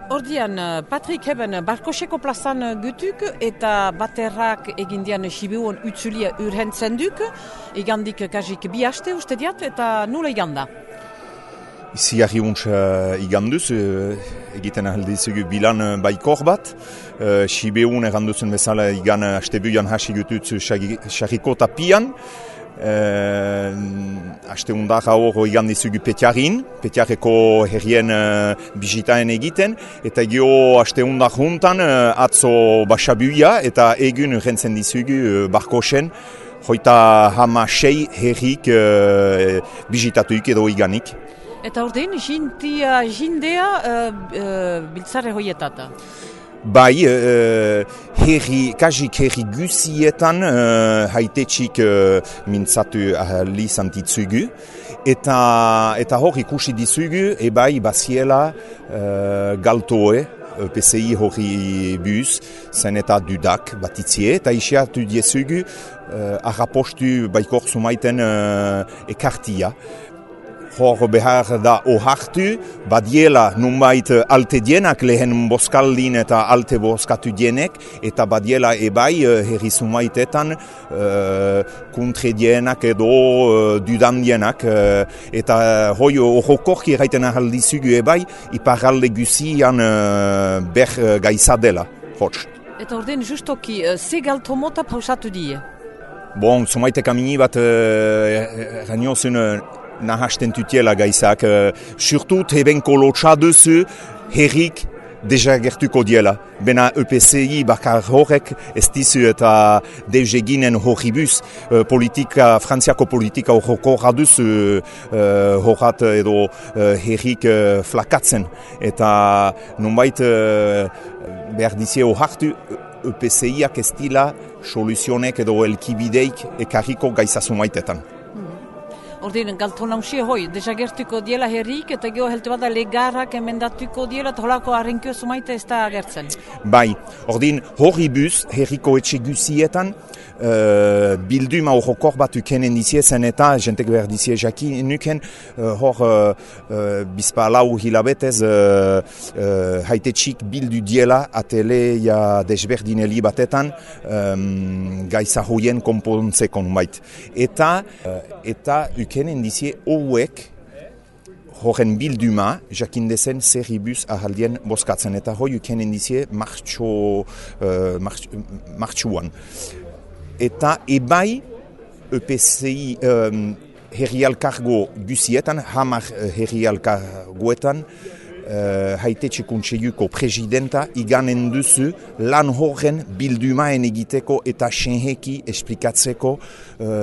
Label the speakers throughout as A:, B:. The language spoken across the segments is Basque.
A: Ordian, Patrik heben Barkoseko plazan gutuk eta baterrak egindian Sibiuon utzulia urhentzen duk, igandik kasik bi haste uste diat eta nula iganda.
B: Iziarri iganduz, egiten ahaldizugu bilan baikor bat. Sibiuon erranduzen bezala igan hastebuian hasi gututzu sarriko tapian. Aste undar hor igan dizugu Petiarreko herrien bizitaen egiten, eta gio aste undar juntan atzo basabuia eta egun urrentzen dizugu Barkosen, hoita hama sei herrik bizitatuik edo iganik.
A: Eta ordein, jindea biltzare hoietata?
B: Bai, kasik herri guzietan haitetxik mintzatu ahalizantitzugu. Eta hor ikusi dizugu, ebai baziela galtoe, PCI hori buz, zen eta dudak batitzie, eta isiatu diezugu arrapostu baikor sumaiten ekartia. Hor behar da ohartu, badiela nunbait alte dienak lehen boskaldin eta alte boskatu dienek, eta badiela ebai herri sumaitetan kontre dienak edo dudan dienak, eta hoi horrokorki erraiten ahaldizugu ebai, iparalde guzian ber gaizadela, hots.
A: Eta ordein justoki, ze galtomota pausatu die?
B: Bon, sumaitek amini bat eraniozun nahasten tutiela gaizak, surtut hebenko lotxa duzu herrik desagertuko diela. Bena EPCI bakar horrek ez dizu eta deuseginen horribuz frantziako politika horrokorra duzu horrat edo herrik flakatzen. Eta nonbait behar dizie ohartu EPCIak ez dila soluzionek edo elkibideik ekarriko gaizasumaitetan.
A: Ordein, galton hausia hoi, desagertuko diela herrik eta geho helte bada legarrak emendatuko diela eta holako harrenkio sumaite ez da agertzen.
B: Bai, ordin horribuz herriko etxe guzietan bilduma horrokor bat ukenen dizie zen eta jentek behar dizie jaki nuken hor bizpa lau hilabetez haitetxik bildu diela ateleia desberdineli batetan gaiza hoien konpontzekon bait. Eta ukenen dizie hauek horren bilduma jakindezen zerribuz ahaldien boskatzen eta hoi ukenen dizie martxuan. Eta ebai EPCI herrialkargo guzietan, hamar herrialkargoetan, haitetxe kontseiluko presidenta iganen duzu lan horren bildumaen egiteko eta senheki esplikatzeko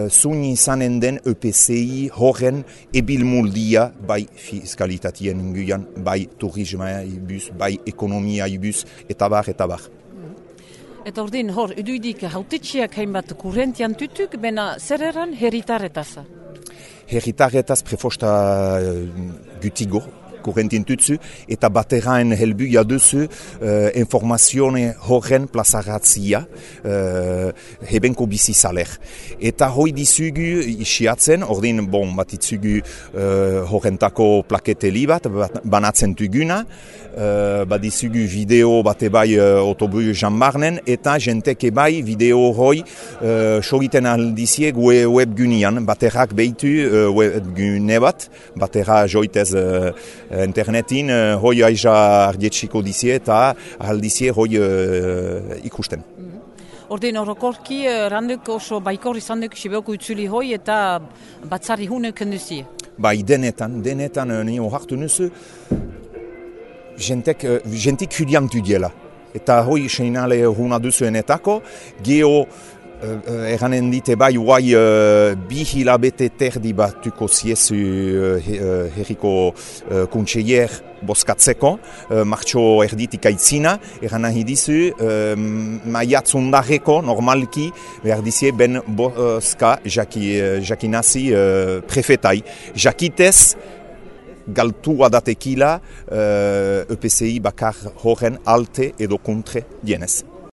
B: zuni izanen den EPCI horren ebilmuldia bai fiskalitatien inguian, bai turismoa ibuz, bai ekonomia ibuz, eta bar.
A: Eta ordein, hor, iduidik hautetxiak hainbat kurrentian tutuk, bena zer eran herritarretaz?
B: Herritarretaz prefosta gutigo, kurrentien tutzu, eta bateraen helbuia duzu informazione horren plazaratzia hebenko bizizaler. Eta hoi dizugu isiatzen, ordin batitzugu horrentako plaketeli bat, banatzen tuguna, badizugu video bate bai autobus jambarnen, eta jentek ebai video hoi sogiten aldizie webgunian, baterak behitu webgune bat, batera joitez internetin hoi aiza ardietxiko dizie eta aldizie hoi ikusten.
A: Ordein horrokorki randuk oso baikor izan duk Sibioko utzuli hoi eta batzari hunek enduzie?
B: Bai, denetan nio hartu nuzu, jentik huliantu diela. Eta hoi seinale huna duzuenetako, geho eranen dite bai uai bi hilabete terdi batuko ziezu herriko kontseiler boskatzeko, martxo erditik aitzina, eran nahi dizu maiatzundarreko normalki behar dizie ben boska jakinazi prefetai. Jakitez galtua datekila EPCI bakar horren alte edo kontre dienez.